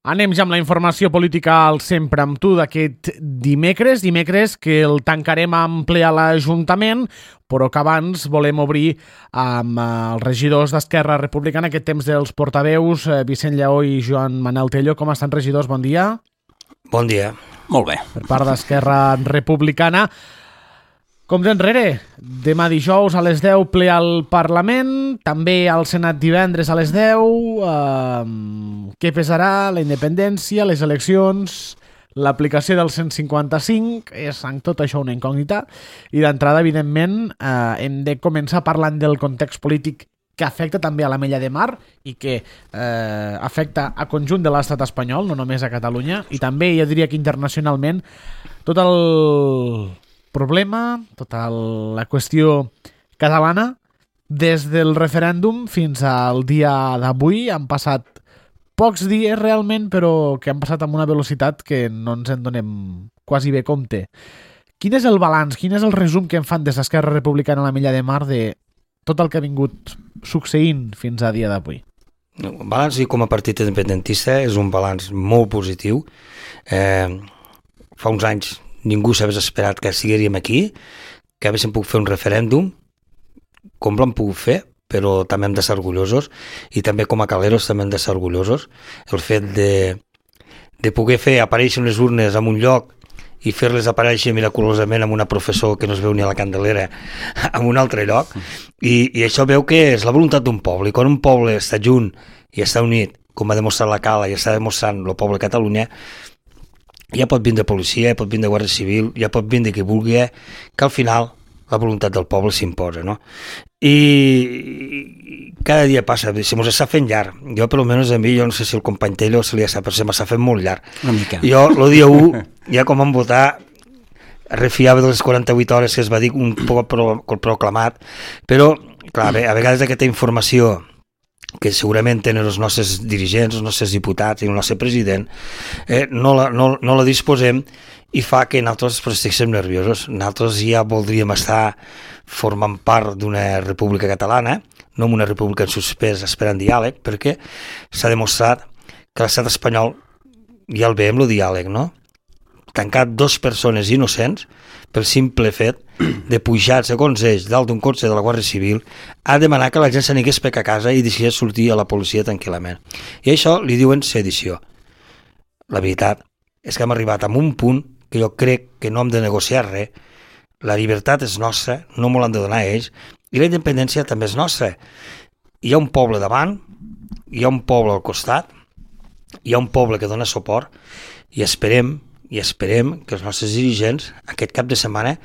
Anem ja amb la informació política al Sempre amb tu d'aquest dimecres que el tancarem amb ple a l'Ajuntament, però que abans volem obrir amb els regidors d'Esquerra Republicana, aquest temps dels portaveus, Vicent Lleó i Joan Manel Tello. Com estan, regidors? Bon dia. Bon dia. Molt bé. Per part d'Esquerra Republicana. Com d'enrere, demà dijous a les 10 ple al Parlament, també al Senat divendres a les 10. Què pesarà? La independència, les eleccions, l'aplicació del 155, és en tot això una incògnita. I d'entrada, evidentment, hem de començar parlant del context polític que afecta també a l'Ametlla de Mar i que afecta a conjunt de l'estat espanyol, no només a Catalunya, i també, jo diria que internacionalment, tot el problema, tota la qüestió catalana, des del referèndum fins al dia d'avui. Han passat pocs dies realment, però que han passat amb una velocitat que no ens en donem quasi bé compte. Quin és el balanç, quin és el resum que en fan des d'Esquerra Republicana a l'Ametlla de Mar de tot el que ha vingut succeint fins a dia d'avui? El balanç com a partit independentista és un balanç molt positiu. Fa uns anys ningú s'hagués esperat que estiguéssim aquí, que haguéssim pogut fer un referèndum, com l'hem pogut fer, però també hem de ser orgullosos, i també com a caleros també hem de ser orgullosos. El fet de poder fer aparèixer unes urnes en un lloc i fer-les aparèixer miraculosament amb una professor que no es veu ni a la Candelera en un altre lloc, i això veu que és la voluntat d'un poble, i quan un poble està junt i està unit, com ha demostrat la Cala i està demostrant el poble de Catalunya, ja pot vindre policia, ja pot vindre Guàrdia Civil, ja pot vindre qui vulgui, que al final la voluntat del poble s'imposa, no? I cada dia passa, se mos està fent llarg. Jo, per almenys a mi, jo no sé si el company Tello se li està, però se m'està fent molt llarg. Una mica. Jo, el dia 1, ja com vam votar, refiava de les 48 hores que es va dir un poc proclamat, però, clar, a vegades aquesta informació que segurament tenen els nostres dirigents, els nostres diputats i el nostre president, no la disposem, i fa que nosaltres estiguem nerviosos. Nosaltres ja voldríem estar formant part d'una república catalana, no una república en suspès esperant diàleg, perquè s'ha demostrat que l'estat espanyol ja el veiem, el diàleg, no? Tancat 2 persones innocents pel simple fet de pujar, segons ells, dalt d'un cotxe de la Guàrdia Civil, a demanar que la gent s'anigués per a casa i deixés sortir a la policia tranquil·lament. I això li diuen sedició. La veritat és que hem arribat a un punt que jo crec que no hem de negociar res. La llibertat és nostra, no me l'han de donar ells, i la independència també és nostra. Hi ha un poble davant, hi ha un poble al costat, hi ha un poble que dona suport, i esperem que els nostres dirigents aquest cap de setmana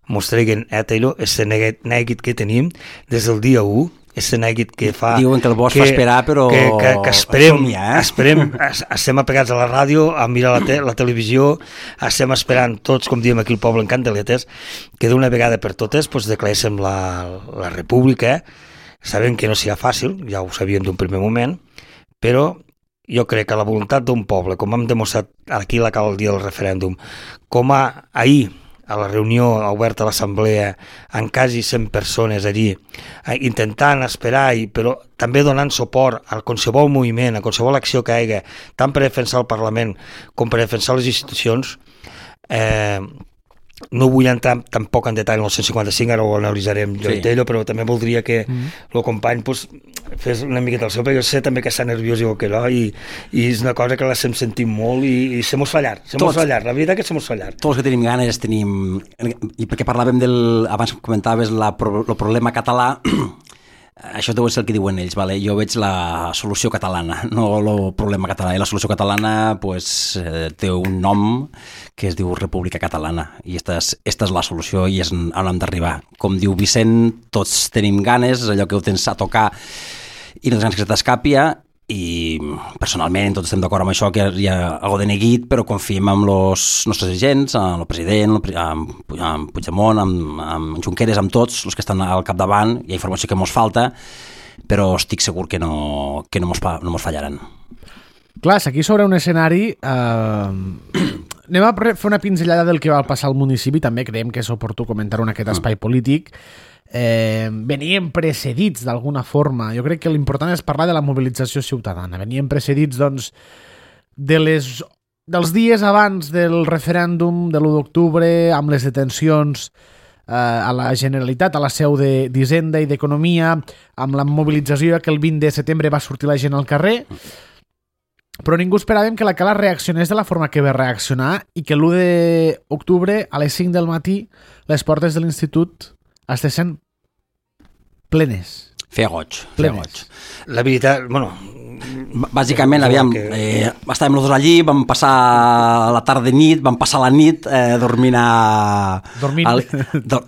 mos treguin a Taylor este neguit que tenim des del dia 1, este neguit que fa... Diuen que el bosc fa esperar, però... Que esperem, estem apegats a la ràdio, a mirar la televisió, estem esperant tots, com diem aquí el poble en Candeletes, que d'una vegada per totes declaréssim la república. Sabem que no serà fàcil, ja ho sabíem d'un primer moment, però jo crec que la voluntat d'un poble, com hem demostrat aquí a la Cala el dia del referèndum, com ahir a la reunió oberta a l'assemblea amb quasi 100 persones allí, intentant esperar, però també donant suport a qualsevol moviment, a qualsevol acció que hi hagi, tant per defensar el Parlament com per defensar les institucions. No vull entrar tampoc en detall en el 155, ara ho analitzarem jo i Tello, però també voldria que el company fes una miqueta el seu, perquè jo sé també que està nerviós igual que jo, i és una cosa que l'estem sentint molt, i se mos fa llarg, la veritat que se mos fa llarg. Tots que tenim ganes tenim... I perquè parlàvem abans comentaves el problema català, això deu ser el que diuen ells, vale? Jo veig la solució catalana, no el problema català, i la solució catalana té un nom que es diu República Catalana, i esta és la solució i és on hem d'arribar. Com diu Vicent, tots tenim ganes, és allò que ho tens a tocar i no tens ganes que se t'escapi, i personalment tots estem d'acord amb això, que hi ha alguna de neguit, però confiem en els nostres agents, en el president, en Puigdemont, en Junqueras, amb tots els que estan al capdavant. Hi ha informació que ens falta, però estic segur que no ens fallaran. Clar, aquí sobre un escenari anem a fer una pinzellada del que va passar al municipi. També creiem que és oportú comentar-ho en aquest espai polític. Venien precedits d'alguna forma. Jo crec que l'important és parlar de la mobilització ciutadana. Venien precedits, doncs, dels dies abans del referèndum de l'1 d'octubre, amb les detencions a la Generalitat, a la seu d'Hisenda i d'Economia, amb la mobilització que el 20 de setembre va sortir la gent al carrer, però ningú esperàvem que la Cala reaccionés de la forma que va reaccionar i que l'1 d'octubre a les 5 del matí les portes de l'institut estessin plenes. Feia goig. La veritat, bueno... Bàsicament, aviam, estàvem els dos allí, vam passar la tarda i nit, vam passar la nit dormint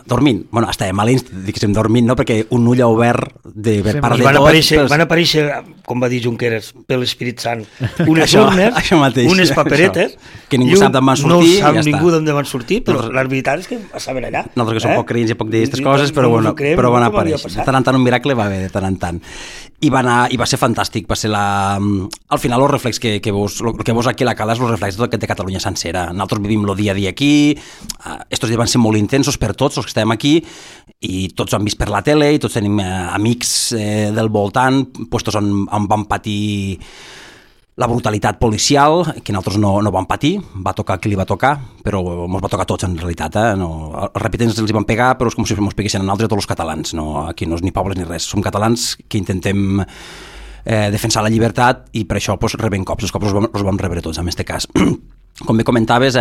dormint. Bueno, estàvem a l'institut, diguéssim, dormint, no? Perquè un ull obert de per part de tots... Van aparèixer, com va dir Junqueras, per l'Espírit Sant, unes urnes, unes paperetes, que ningú sap d'on van sortir, no sap ningú d'on van sortir, però la veritat és que saben allà. Nosaltres que som poc creients i poc d'aquestes coses, però van aparèixer. De tant en tant un miracle va haver, de tant en tant. I va ser fantàstic, va ser al final el reflex que veus aquí a la Cala és el reflex de Catalunya sencera. Nosaltres vivim el dia a dia aquí, estos dies van ser molt intensos per tots els que estem aquí, i tots ho han vist per la tele, i tots tenim amics del voltant, puestos on van patir la brutalitat policial, que nosaltres no vam patir, va tocar qui li va tocar, però ens va tocar a tots en realitat. Els repetents els hi van pegar, però és com si ens peguessin a nosaltres a tots els catalans. No? Aquí no és ni pobles ni res, som catalans que intentem defensar la llibertat i per això rebem cops. Els cops els vam rebre tots en aquest cas. Com bé comentaves,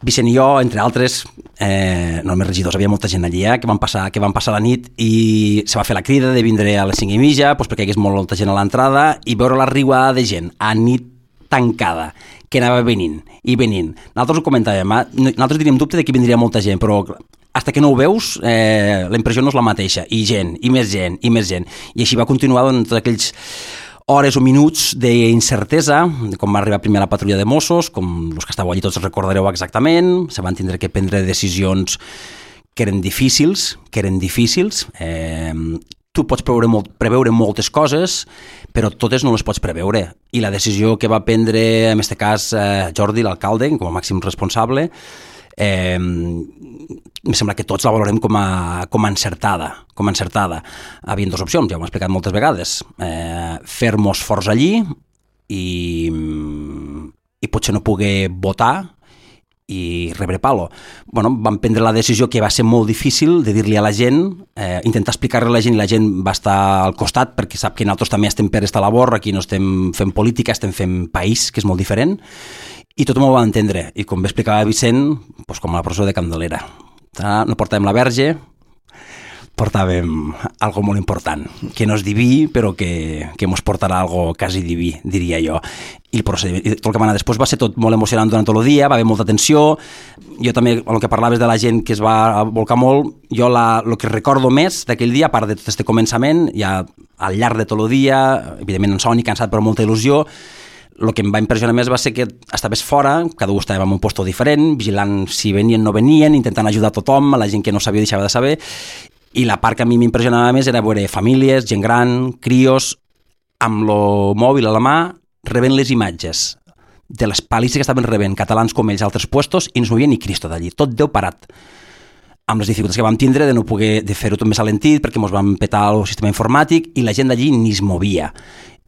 Vicent i jo, entre altres, no només regidors, havia molta gent allí que van passar la nit i se va fer la crida de vindre a les 5:30 perquè hi hagués molta gent a l'entrada i veure la riuada de gent a nit tancada, que anava venint. Nosaltres ho comentàvem, nosaltres teníem dubte de que vindria molta gent, però hasta que no ho veus, la impressió no és la mateixa, i gent, i més gent, i més gent. I així va continuar durant tots aquells hores o minuts d'incertesa, com va arribar primer la patrulla de Mossos, com els que estàveu allí tots recordareu exactament, se van tindre que prendre decisions que eren difícils. Tu pots preveure moltes coses, però totes no les pots preveure. I la decisió que va prendre, en aquest cas, Jordi, l'alcalde, com a màxim responsable, em sembla que tots la valorem com a encertada. Havien dues opcions, ja ho hem explicat moltes vegades, fer-nos forts allí i potser no poder votar i rebre palo. Vam prendre la decisió, que va ser molt difícil, de dir-li a la gent, intentar explicar-li a la gent, i la gent va estar al costat, perquè sap que nosaltres també estem per esta labor, aquí no estem fent política, estem fent país, que és molt diferent, i tothom ho va entendre. I com bé explicava Vicent, com a la processó de Candelera. No portàvem la verge, portàvem algo molt important, que no és diví, però que mos portarà algo quasi diví, diria jo. I tot el que va anar després va ser tot molt emocionant durant tot el dia, va haver molta tensió. Jo també, el que parlaves de la gent que es va volcar molt, jo el que recordo més d'aquell dia, a part de tot aquest començament, ja al llarg de tot el dia, evidentment en somni, cansat, però molta il·lusió, el que em va impressionar més va ser que estaves fora, cada un estava en un lloc diferent, vigilant si venien o no venien, intentant ajudar a tothom, a la gent que no sabia deixava de saber, i la part que a mi m'impressionava més era veure famílies, gent gran, crios, amb el mòbil a la mà, rebent les imatges de les palisses que estaven rebent catalans com ells a altres puestos, i no es movia ni Cristo d'allí, tot Déu parat, amb les dificultats que vam tindre de no poder fer-ho tot més alentit perquè ens vam petar el sistema informàtic i la gent d'allí ni es movia.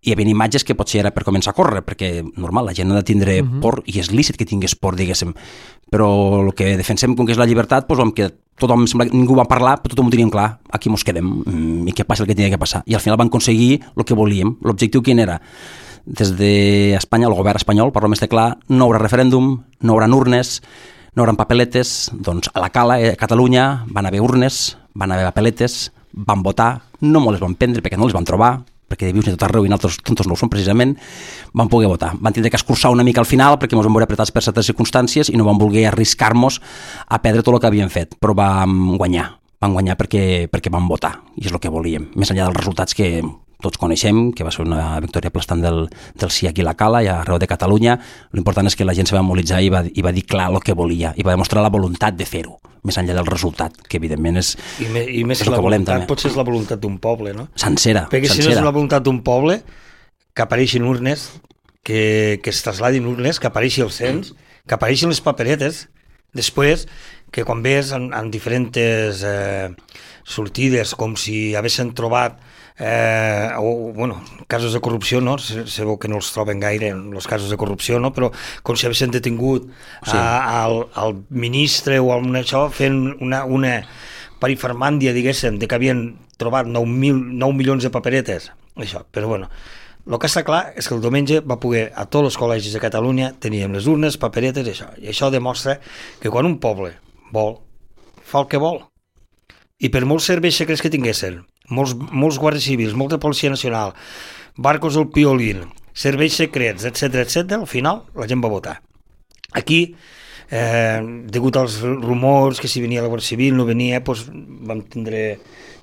Hi havia imatges que potser era per començar a córrer, perquè normal, la gent ha de tindre por, i és lícit que tingués por, diguéssim, però el que defensem, com que és la llibertat, que tothom, sembla que ningú va parlar, però tothom ho teníem clar, aquí mos quedem, i què passa el que tenia que passar. I al final van aconseguir el que volíem. L'objectiu quin era? Des d'Espanya, el govern espanyol, parlo més de clar, no hi haurà referèndum, no hi haurà urnes, no hi haurà papeletes, doncs a la Cala, a Catalunya, van haver urnes, van haver papeletes, van votar, no molt les van prendre perquè no les van trobar, perquè de vius ni tot arreu i nosaltres tontos no ho som precisament, van poder votar. Van tindre que escurçar una mica al final perquè ens vam veure apretats per certes circumstàncies i no vam voler arriscar-nos a perdre tot el que havíem fet, però vam guanyar perquè vam votar, i és el que volíem, més enllà dels resultats que tots coneixem, que va ser una victòria aplastant del sí aquí a la Cala i arreu de Catalunya. L'important és que la gent se va mobilitzar i va dir clar el que volia, i va demostrar la voluntat de fer-ho, més enllà del resultat, que evidentment és més el que volem també. Potser és la voluntat d'un poble, no? Sencera. Perquè si no és la voluntat d'un poble, que apareixin urnes, que es trasladin urnes, que apareixi el cens, que apareixin les paperetes, després que quan ves en diferents sortides, com si haguessin trobat casos de corrupció, no? Sabeu que no els troben gaire, els casos de corrupció, no? Però com si haguessin detingut al ministre o amb això fent una perifermàndia, diguéssim, de que havien trobat 9 milions de paperetes, això, però bueno. El que està clar és que el diumenge va poder, a tots els col·legis de Catalunya, teníem les urnes, paperetes, i això demostra que quan un poble vol, fa el que vol. I per molts serveis secrets que tinguessin, molts guàrdies civils, molta policia nacional, barcos del Piolín, serveis secrets, etc, al final la gent va votar. Aquí, degut als rumors que si venia la Guàrdia Civil, no venia, doncs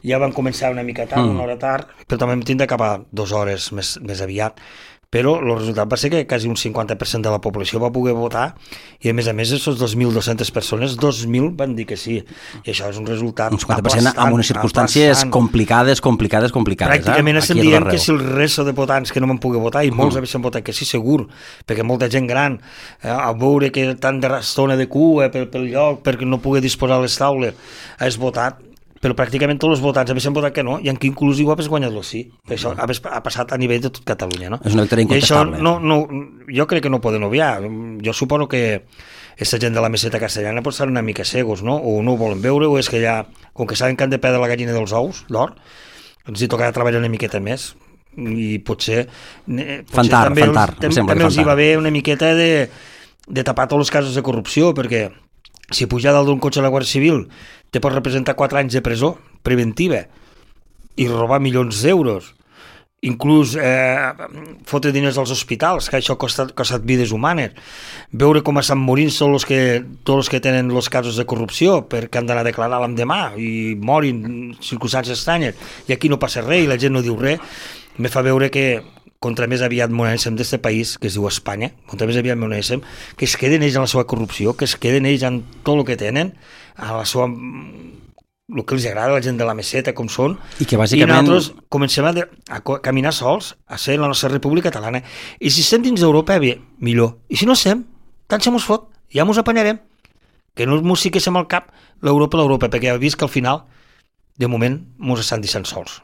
ja van començar una mica tard, una hora tard, però també vam tindre cap a 2 hores més aviat. Però el resultat va ser que quasi un 50% de la població va poder votar i a més, aquestes 2.200 persones, 2.000 van dir que sí. I això és un resultat un 50% amb unes circumstàncies complicades. Pràcticament estem dient que si el resto de votants que no van poder votar, i molts havien votat que sí, segur, perquè molta gent gran, a veure que tant d'estona de cua pel lloc, perquè no pugui disposar a les taules, has votat, però pràcticament tots els votants havien votat que no, i en qui inclús igual has guanyat el sí. Això ha passat a nivell de tot Catalunya, no? És una victòria incontestable. I això jo crec que no poden obviar. Jo suposo que aquesta gent de la meseta castellana pot estar una mica cegos, no? O no ho volen veure, o és que ja, com que saben que han de perdre la gallina dels ous, d'or, ens hi tocarà treballar una miqueta més. I potser també els hi va bé una miqueta de tapar tots els casos de corrupció, perquè si pujar dalt d'un cotxe a la Guàrdia Civil te pot representar 4 anys de presó preventiva i robar milions d'euros, inclús fotre diners als hospitals, que això ha costat vides humanes, veure com estan morint tots els que tenen els casos de corrupció perquè han d'anar a declarar l'endemà i morin circumstàncies estranyes, i aquí no passa res i la gent no diu res. Me fa veure que contra més aviat monéssim d'aquest país, que es diu Espanya, contra més aviat monéssim, que es queden ells en la seva corrupció, que es queden ells en tot el que tenen, a la seva, el que els agrada a la gent de la meseta, com són, i que bàsicament... I nosaltres comencem a caminar sols, a ser la nostra república catalana, i si estem dins d'Europa, bé, millor, i si no estem, tant se mos fot, ja mos apanyarem, que no mos fiquéssim al cap l'Europa, perquè ja he vist que al final, de moment, mos estan deixant sols.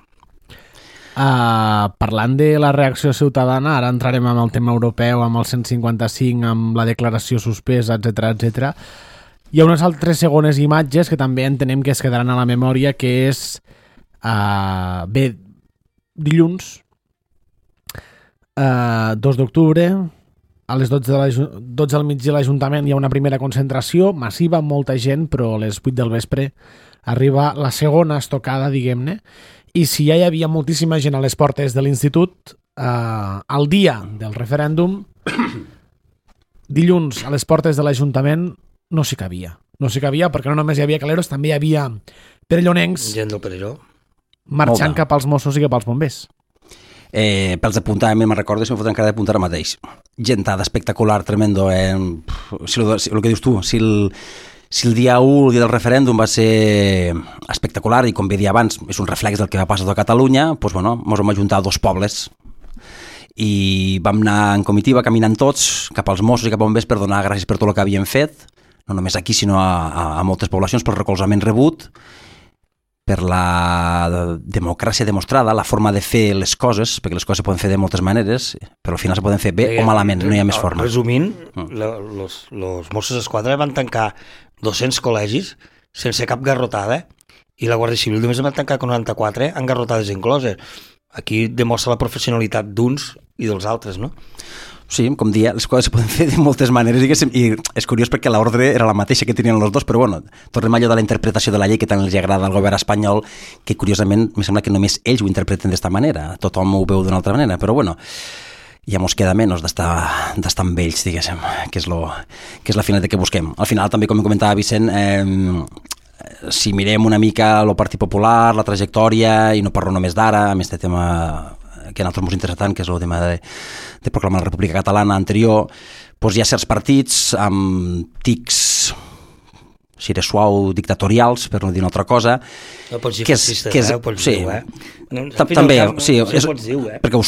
Parlant de la reacció ciutadana, ara entrarem amb el tema europeu, amb el 155, amb la declaració suspesa, etc. Hi ha unes altres segones imatges que també entenem que es quedaran a la memòria, que és dilluns 2 d'octubre, a les 12 al migdia a l'Ajuntament hi ha una primera concentració massiva, molta gent, però a les 8 del vespre arriba la segona estocada, diguem-ne. I si ja hi havia moltíssima gent a les portes de l'institut, el dia del referèndum, dilluns a les portes de l'Ajuntament no s'hi cabia. No s'hi cabia perquè no només hi havia caleros, també hi havia perellonencs gent del Perelló marxant cap als Mossos i cap als bombers. Pels d'apuntar, me'n recordo, si em foten encara d'apuntar ara mateix. Gentada espectacular, tremendo. Si el que dius tu, si el dia 1, el dia del referèndum, va ser espectacular i, com bé dia abans, és un reflex del que va passar a Catalunya, doncs, bueno, ens vam ajuntar 2 pobles i vam anar en comitiva, caminant tots, cap als Mossos i cap a bombers per donar gràcies per tot el que havien fet, no només aquí, sinó a moltes poblacions, pel recolzament rebut, per la democràcia demostrada, la forma de fer les coses, perquè les coses se poden fer de moltes maneres, però al final se poden fer bé o malament, no hi ha més forma. Resumint, los Mossos d'Esquadra van tancar 200 col·legis sense cap garrotada, i la Guàrdia Civil només van tancar 94 amb garrotades incloses. Aquí demostra la professionalitat d'uns i dels altres, no? Sí, com dia, les coses se poden fer de moltes maneres, diguéssim, i és curiós perquè l'ordre era la mateixa que tenien els dos, però bueno, tornem a allò de la interpretació de la llei que tant els agrada al govern espanyol, que curiosament em sembla que només ells ho interpreten d'esta manera, tothom ho veu d'una altra manera, però bueno, ja mos queda menys d'estar amb ells, diguéssim, que és la finalitat que busquem. Al final, també, com comentava Vicent, si mirem una mica el Partit Popular, la trajectòria, i no parlo només d'ara, amb aquest tema que a nosaltres ens interessa tant, que és el tema de proclamar la República Catalana anterior, doncs hi ha certs partits amb tics, si era suau, dictatorials, per no dir una altra cosa. No pots dir fascistes, ho pots dir, també, sí, perquè ho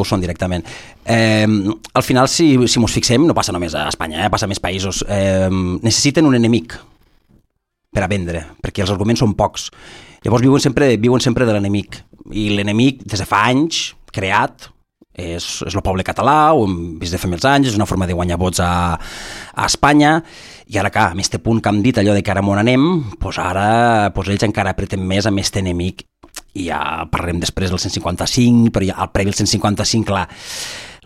són directament. Al final, si mos fixem, no passa només a Espanya, passa a més països, necessiten un enemic per a vendre, perquè els arguments són pocs. Llavors viuen sempre de l'enemic. I l'enemic, des de fa anys, creat, és el poble català, ho hem vist de fa molts anys, és una forma de guanyar vots a Espanya, i ara, clar, amb aquest punt que hem dit, allò de que ara on anem, doncs ara ells encara apreten més amb aquest enemic, i ja parlarem després del 155, però ja al previ del 155, clar,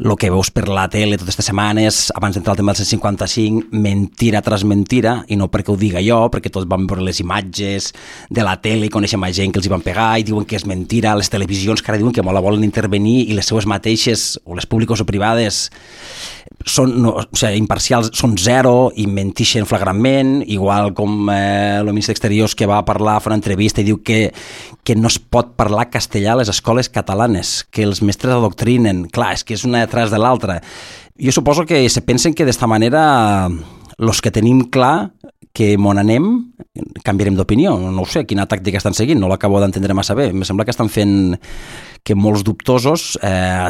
el que veus per la tele totes aquestes setmanes, abans d'entrar al tema del 155, mentira tras mentira, i no perquè ho diga jo, perquè tots vam veure les imatges de la tele i coneixem gent que els hi van pegar i diuen que és mentira, les televisions que ara diuen que molt la volen intervenir i les seues mateixes, o les públiques o privades, són imparcials, són zero i mentixen flagrantment, igual com el ministre d'Exteriors que va parlar, fa una entrevista i diu que no es pot parlar castellà a les escoles catalanes, que els mestres adoctrinen. Clar, és que és una detrás de l'altra. Jo suposo que se pensen que d'esta manera els que tenim clar que on anem canviarem d'opinió. No ho sé, quina tàctica estan seguint, no l'acabo d'entendre massa bé. Em sembla que estan fent que molts dubtosos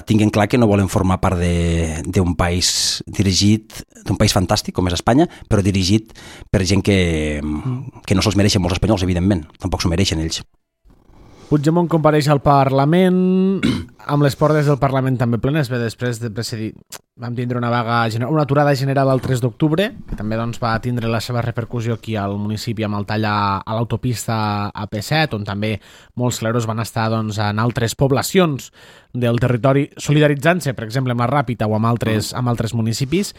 tinguin clar que no volen formar part d'un país dirigit, d'un país fantàstic com és Espanya, però dirigit per gent que no se'ls mereixen molts espanyols, evidentment. Tampoc s'ho mereixen ells. Puigdemont compareix al Parlament, amb les portes del Parlament també plenes. Bé, després de precedir, vam tindre una aturada general el 3 d'octubre, que també va tindre la seva repercussió aquí al municipi amb el tall a l'autopista AP7, on també molts claros van estar en altres poblacions del territori solidaritzant-se, per exemple, amb la Ràpita o amb altres municipis.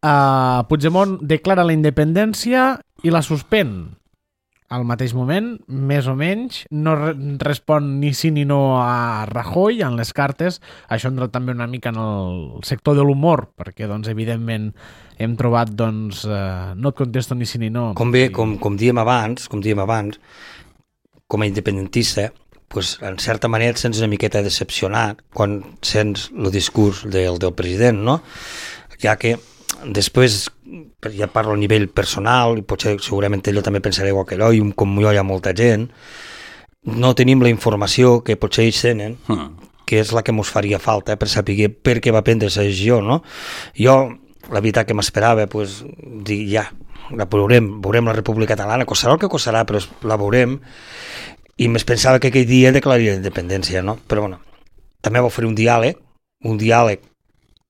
Puigdemont declara la independència i la suspèn. Al mateix moment, més o menys, no respon ni sí ni no a Rajoy en les cartes. Això ha entrat també una mica en el sector de l'humor, perquè, evidentment, hem trobat, no et contesto ni sí ni no. Com dèiem abans, com a independentista, en certa manera et sents una miqueta decepcionat quan sents el discurs del president, no? Ja que després, ja parlo a nivell personal, i potser segurament ell també pensarà igual que jo, i com jo hi ha molta gent, no tenim la informació que potser ells tenen, que és la que ens faria falta per saber per què va prendre aquesta decisió, no? Jo, la veritat que m'esperava, dir, ja, la veurem la República Catalana, costarà el que costarà, però la veurem, i més pensava que aquell dia declararia la independència, no? Però, bueno, també va oferir un diàleg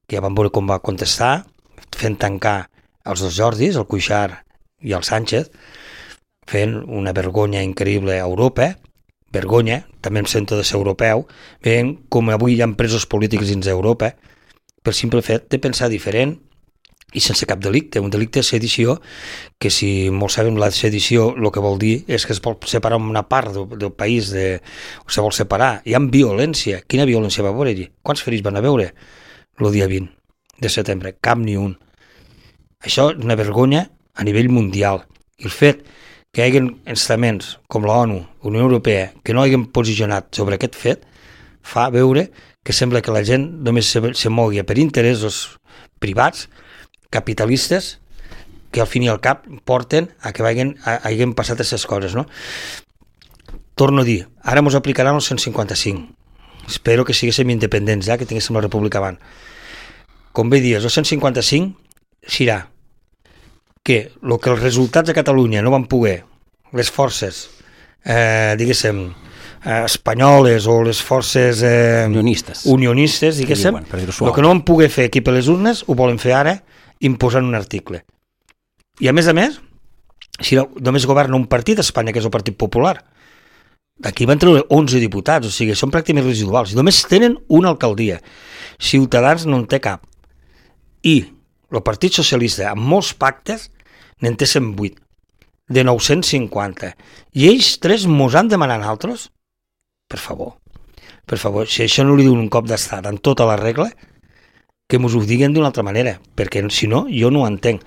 que ja vam veure com va contestar, fent tancar els dos Jordis, el Cuixart i el Sánchez, fent una vergonya increïble a Europa, vergonya, també em sento de ser europeu, veient com avui hi ha presos polítics dins d'Europa, per simple fet de pensar diferent i sense cap delicte. Un delicte de sedició, que si molts sabem la sedició, el que vol dir és que es vol separar una part del país, se vol separar. Hi ha violència. Quina violència va veure allí? Quants ferits van a veure el dia 20 de setembre? Cap ni un. Això és una vergonya a nivell mundial. I el fet que hi hagi estaments com l'ONU, Unió Europea, que no hagin posicionat sobre aquest fet, fa veure que sembla que la gent només se mogui per interessos privats, capitalistes, que al fin i al cap porten a que hagin passat aquestes coses, no? Torno a dir, ara ens aplicaran el 155. Espero que siguéssim independents, que tinguéssim la república abans. Com bé dius, el 155 serà que el que els resultats de Catalunya no van poder, les forces, diguéssim, espanyoles o les forces unionistes, diguéssim, el que no van poder fer aquí per les urnes ho volen fer ara imposant un article. I a més, si només governa un partit a Espanya, que és el Partit Popular, d'aquí van treure 11 diputats, o sigui, són pràcticament residuals, i només tenen una alcaldia. Ciutadans no en té cap. I el Partit Socialista, amb molts pactes, n'en té 108, de 950. I ells tres mos han demanat altres? Per favor, si això no li diuen un cop d'estat en tota la regla, que mos ho diguen d'una altra manera, perquè si no, jo no ho entenc.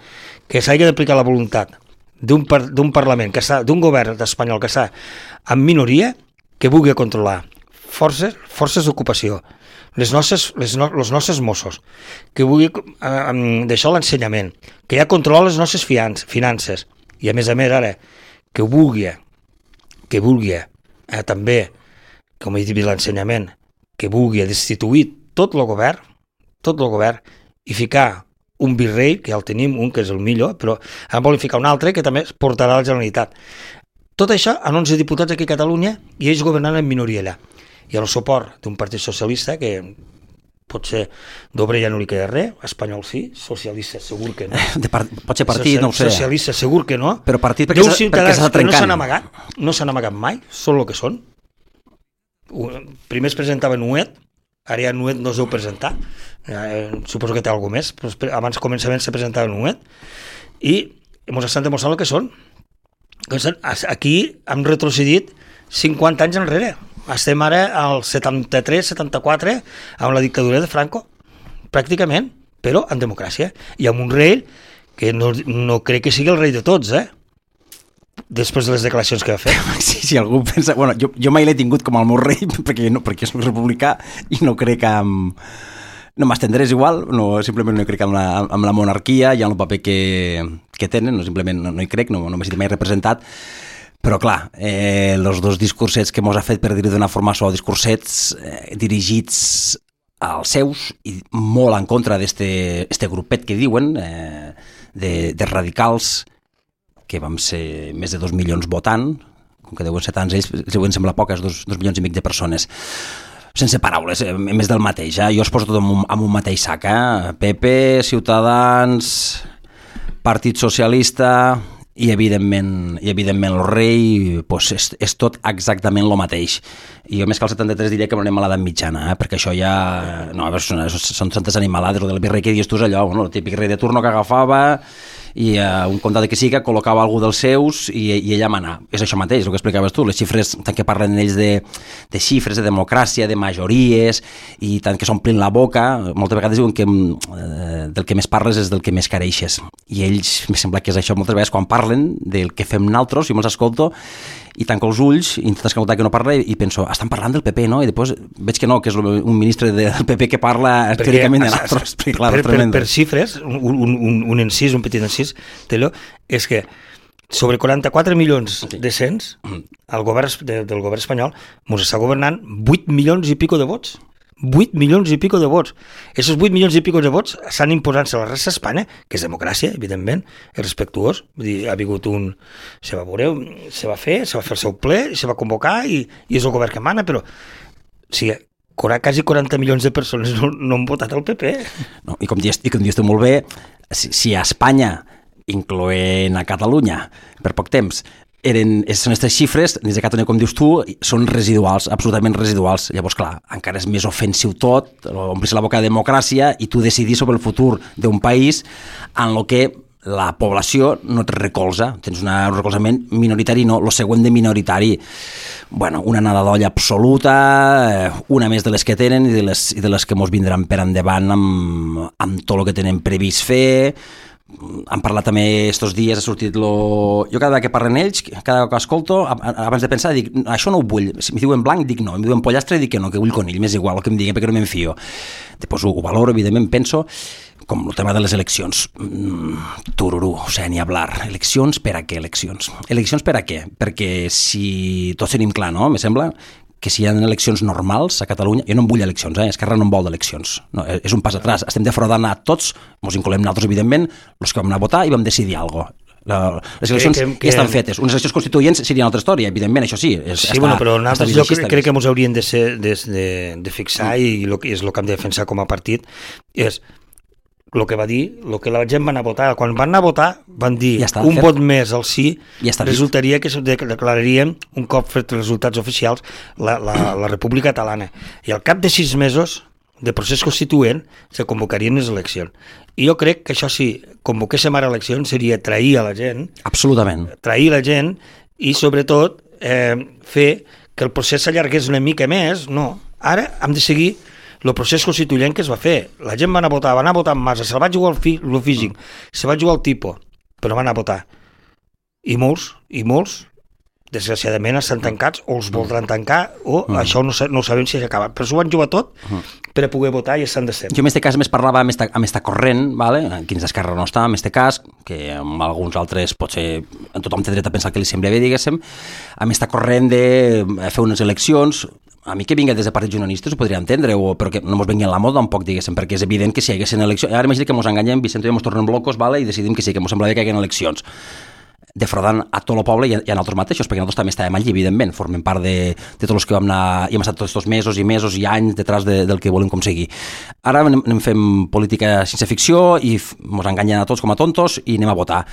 Que s'hagi d'aplicar la voluntat d'un Parlament, d'un govern espanyol que està en minoria, que vulgui controlar forces d'ocupació, els nostres Mossos, que vulgui deixar l'ensenyament, que ja controla les nostres finances, i a més ara, que vulgui també, com he dit, l'ensenyament, que vulgui destituir tot el govern, i ficar un virrei, que ja el tenim, un que és el millor, però ara volen ficar un altre que també es portarà a la Generalitat. Tot això en 11 diputats aquí a Catalunya i ells governant en minoria allà. I el suport d'un partit socialista que potser d'Obrer ja no li queda res, espanyol sí, socialista segur que no. Pot ser partit, no ho sé. Socialista segur que no. Però partit perquè s'ha trencant. No s'han amagat mai, són el que són. Primer es presentava Nuet, ara ja Nuet no es deu presentar, suposo que té alguna més, però abans començament se presentava Nuet, i ens estan demostrant el que són. Aquí hem retrocedit 50 anys enrere. Estem ara al 73-74 amb la dictadura de Franco, pràcticament, però en democràcia. I amb un rei que no crec que sigui el rei de tots, després de les declaracions que va fer. Sí, si algú pensa... Bueno, jo mai l'he tingut com el meu rei, perquè soc republicà i no crec que... No m'estendré, és igual, simplement no hi crec en la monarquia i en el paper que tenen, simplement no hi crec, no m'he sentit mai representat, però clar, els dos discursets que mos ha fet, per dir-ho d'una forma suau, discursets dirigits als seus i molt en contra d'este grupet que diuen, de radicals, que vam ser més de 2 milions votant, com que deuen ser tants ells, deuen semblar poques, 2 milions i mig de persones. Sense paraules, més del mateix. Jo es poso tot en un mateix sac. PP, Ciutadans, Partit Socialista i evidentment el rei, pues, és tot exactament el mateix. I jo més que el 73 diria que no anem a l'edat mitjana, perquè això ja... No, són tantes animalades, el del virrei que dius tu és allò, el típic rei de turno que agafava i un comtat que siga col·locava algú dels seus i ella mana. És això mateix, el que explicaves tu, les xifres, tant que parlen ells de xifres, de democràcia, de majories, i tant que s'omplin la boca, moltes vegades diuen que del que més parles és del que més careixes. I ells, em sembla que és això moltes vegades, quan parlen del que fem naltros, jo me'ls escolto, i tanco els ulls, intento escoltar que no parla i penso, estan parlant del PP, no? I després veig que no, que és un ministre del PP que parla teòricament de naltros. Per xifres, un encís, un petit encís, és que sobre 44 milions de cents, el govern del govern espanyol ens està governant 8 milions i pico de vots. 8 milions i pico de vots. Aquests 8 milions i pico de vots s'han imposant-se a la resta d'Espanya, que és democràcia, evidentment, és respectuós. Vull dir, ha vingut se va fer el seu ple, se va convocar i és el govern que mana, però quasi 40 milions de persones no han votat el PP. No, i com dius tu molt bé, si a Espanya, incloent a Catalunya, per poc temps, són aquestes xifres, des de Catalunya, com dius tu, són residuals, absolutament residuals. Llavors, clar, encara és més ofensiu tot, omplir la boca de democràcia i tu decidir sobre el futur d'un país en el que la població no et recolza, tens un recolzament minoritari, no, el següent de minoritari. Bueno, una nada d'olla absoluta, una més de les que tenen i de les que mos vindran per endavant amb tot el que tenen previst fer. Han parlat també estos dies, ha sortit jo cada vegada que parlen ells, cada vegada que escolto, abans de pensar, dic, això no ho vull, si m'hi diuen blanc, dic no, em diuen pollastre, dic que no, que vull conill, m'és igual el que em diguen, perquè no m'enfio. Després ho valoro, evidentment, penso, com el tema de les eleccions, tururú, o sigui, ni hablar, eleccions per a què, eleccions? Eleccions per a què? Perquè si tots tenim clar, no?, me sembla, que si hi ha eleccions normals a Catalunya, jo no en vull eleccions, Esquerra no en vol d'eleccions, no, és un pas atràs, estem defraudant a tots, ens incloem nosaltres, evidentment, els que vam anar a votar i vam decidir alguna cosa. Les eleccions ja estan fetes, unes eleccions constituents serien una altra història, evidentment, això sí. Però nosaltres jo crec que ens haurien de fixar i és el que hem de defensar com a partit, és el que va dir, el que la gent va anar a votar. Quan van anar a votar, van dir vot més al sí, resultaria que declararíem, un cop fet els resultats oficials, la República Catalana. I al cap de 6 mesos de procés constituent se convocarien les eleccions. I jo crec que això, si convoquéssim ara eleccions, seria trair a la gent. Absolutament. Trair la gent i, sobretot, fer que el procés s'allargués una mica més. No, ara hem de seguir el procés constituent que es va fer. La gent va anar a votar en massa, se'l va jugar el físic, se va jugar el tipus, però van anar a votar. I molts, desgraciadament, estan tancats, o els voldran tancar, o això no ho sabem si s'acaba. Però s'ho van jugar tot per a poder votar i estan de sempre. Jo en aquest cas més parlava amb esta corrent, aquí dins d'Esquerra no està, en aquest cas, que amb alguns altres potser tothom té dret a pensar que li sembla bé, diguéssim, amb esta corrent de fer unes eleccions. A mi que vinga des de partits unionistes ho podria entendre, però que no mos vengui en la moda tampoc, diguéssim, perquè és evident que si hi haguessin eleccions... Ara imagina que mos enganyem, Vicent i jo mos tornem locos, i decidim que sí, que mos sembla bé que hi hagin eleccions. defraudant a tot el poble i a nosaltres mateixos, perquè nosaltres també estàvem allí, evidentment, formem part de tots els que vam anar, i hem estat tots aquests mesos i mesos i anys detrás del que volem aconseguir. Ara anem fent política sense ficció i ens enganyen a tots com a tontos i anem a votar.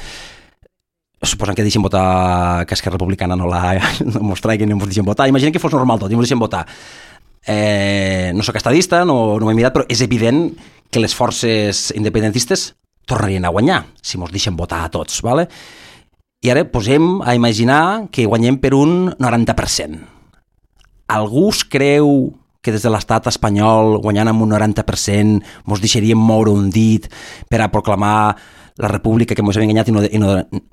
Suposant que deixen votar, que Esquerra Republicana no mos traigui, no ens deixen votar. Imaginem que fos normal tot i ens deixen votar. No soc estadista, no m'he mirat, però és evident que les forces independentistes tornarien a guanyar si ens deixen votar a tots, ¿vale? I ara posem a imaginar que guanyem per un 90%. Algú es creu que des de l'estat espanyol, guanyant amb un 90%, ens deixaríem moure un dit per a proclamar la república que ens hem enganyat o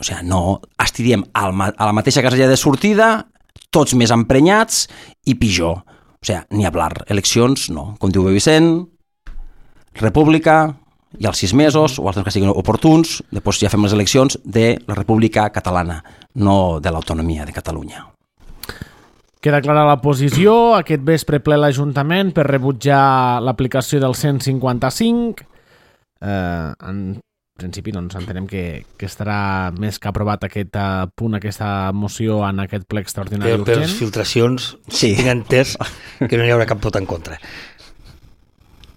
sigui, no, estiríem a la mateixa casella de sortida, tots més emprenyats i pitjor. O sigui, ni hablar. Eleccions, no. Com diu Vicent, república, i als 6 mesos, o els que siguin oportuns, després ja fem les eleccions de la República Catalana, no de l'autonomia de Catalunya. Queda clara la posició. Aquest vespre ple l'Ajuntament per rebutjar l'aplicació del 155. En principi doncs, entenem que estarà més que aprovat aquest punt, aquesta moció en aquest ple extraordinari urgent. Per les filtracions, sí. Tinc entès que no hi haurà cap vot en contra.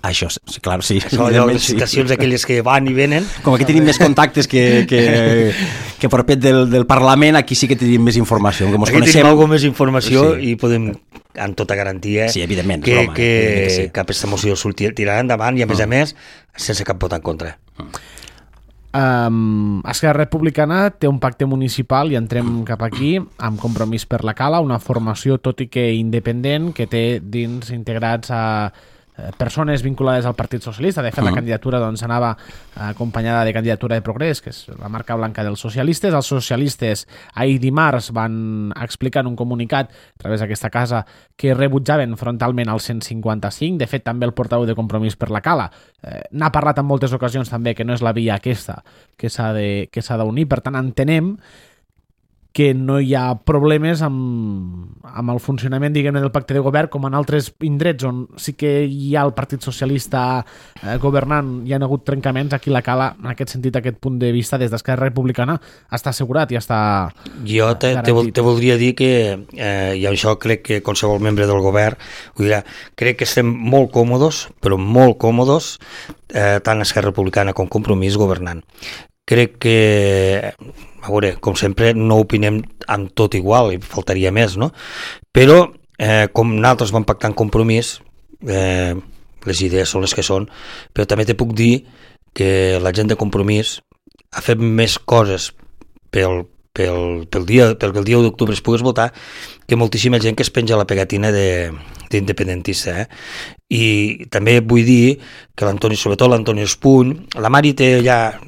Això, sí, clar, sí. Les citacions aquelles que van i venen. Com aquí tenim més contactes que propet del Parlament, aquí sí que tenim més informació. Aquí tenim alguna més informació i podem, amb tota garantia, sí, evidentment, que aquesta moció tirarà endavant i, a més, sense cap vot en contra. Esquerra Republicana té un pacte municipal, i entrem cap aquí, amb Compromís per la Cala, una formació, tot i que independent, que té dins integrats a persones vinculades al Partit Socialista. De fet, la candidatura doncs, anava acompanyada de candidatura de Progrés, que és la marca blanca dels socialistes. Els socialistes ahir dimarts van explicar en un comunicat a través d'aquesta casa que rebutjaven frontalment el 155. De fet, també el portaveu de Compromís per la Cala n'ha parlat en moltes ocasions també que no és la via aquesta que s'ha d'unir. Per tant, entenem que no hi ha problemes amb el funcionament, diguem-ne, del pacte de govern, com en altres indrets on sí que hi ha el Partit Socialista governant, hi ha hagut trencaments. Aquí la Cala, en aquest sentit, aquest punt de vista, des d'Esquerra Republicana, està assegurat i està Jo te voldria dir que, i això crec que qualsevol membre del govern ho dirà, crec que estem molt còmodes, però molt còmodes, tant Esquerra Republicana com Compromís governant. Crec que, a veure, com sempre, no opinem amb tot igual, i faltaria més, no? Però, com nosaltres vam pactar en Compromís, les idees són les que són, però també te puc dir que la gent de Compromís ha fet més coses pel dia d'octubre es pogués votar que moltíssima gent que es penja la pegatina d'independentista. I també vull dir que l'Antoni, sobretot l'Antoni Espuny, la Mari té ja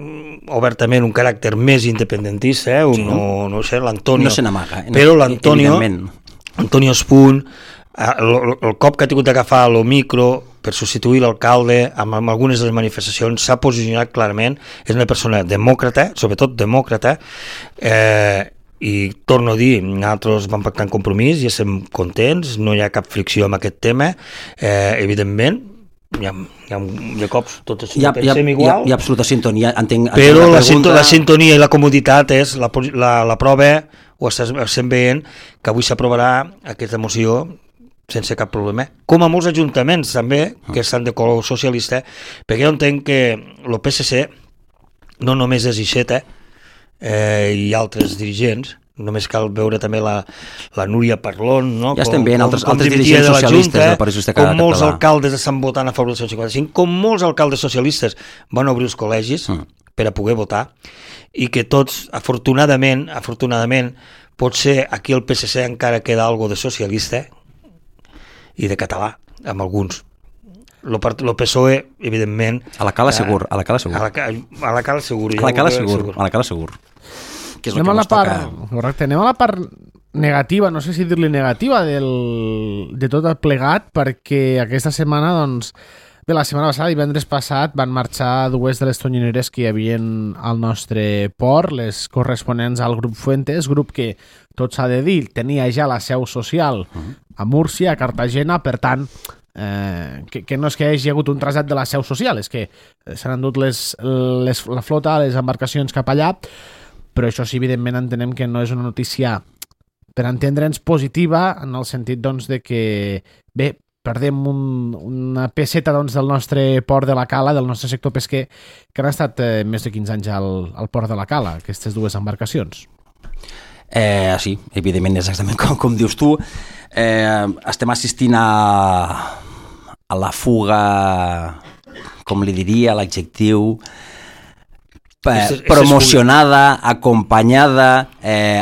obertament un caràcter més independentista, no sé, l'Antonio, no se n'amaga, però l'Antoni Espuny, el cop que ha tingut d'agafar el micro per substituir l'alcalde amb algunes de les manifestacions s'ha posicionat clarament. És una persona demòcrata, sobretot demòcrata, i torno a dir, nosaltres vam pactar en Compromís i estem contents, no hi ha cap fricció amb aquest tema. Evidentment hi ha cops tots pensem igual, hi ha absoluta sintonia, però la sintonia i la comoditat és la prova, ho estem veient, que avui s'aprovarà aquesta moció sense cap problema, com a molts ajuntaments també, que estan de color socialista, perquè jo entenc que el PSC no només és Ixeta i altres dirigents, només cal veure també la Núria Parlon, no? Ja estem veient altres dirigents socialistes del Partit Socialista Català. Com molts alcaldes estan votant a favor del 155, com molts alcaldes socialistes van obrir els col·legis per a poder votar, i que tots, afortunadament, potser aquí al PSC encara queda algo de socialista i de català, amb alguns. El PSOE, evidentment... A la Cala segur. A la Cala segur. Que és el que ens toca. Correcte, anem a la part negativa, no sé si dir-li negativa, de tot el plegat, perquè aquesta setmana, doncs, bé, la setmana passada, divendres passat, van marxar dues de les tonyineres que hi havia al nostre port, les corresponents al grup Fuentes, grup que, tot s'ha de dir, tenia ja la seu social a Múrcia, a Cartagena, per tant, que no és que hi hagi hagut un trasllat de la seu social, és que s'han endut la flota, les embarcacions cap allà, però això sí, evidentment, entenem que no és una notícia, per entendre'ns, positiva, en el sentit doncs, de que, bé, perdem una pesseta doncs, del nostre port de la Cala, del nostre sector pesquer, que han estat més de 15 anys al port de la Cala, aquestes dues embarcacions. Sí, evidentment, exactament com dius tu. Estem assistint a la fuga, com li diria, l'adjectiu, promocionada, acompanyada,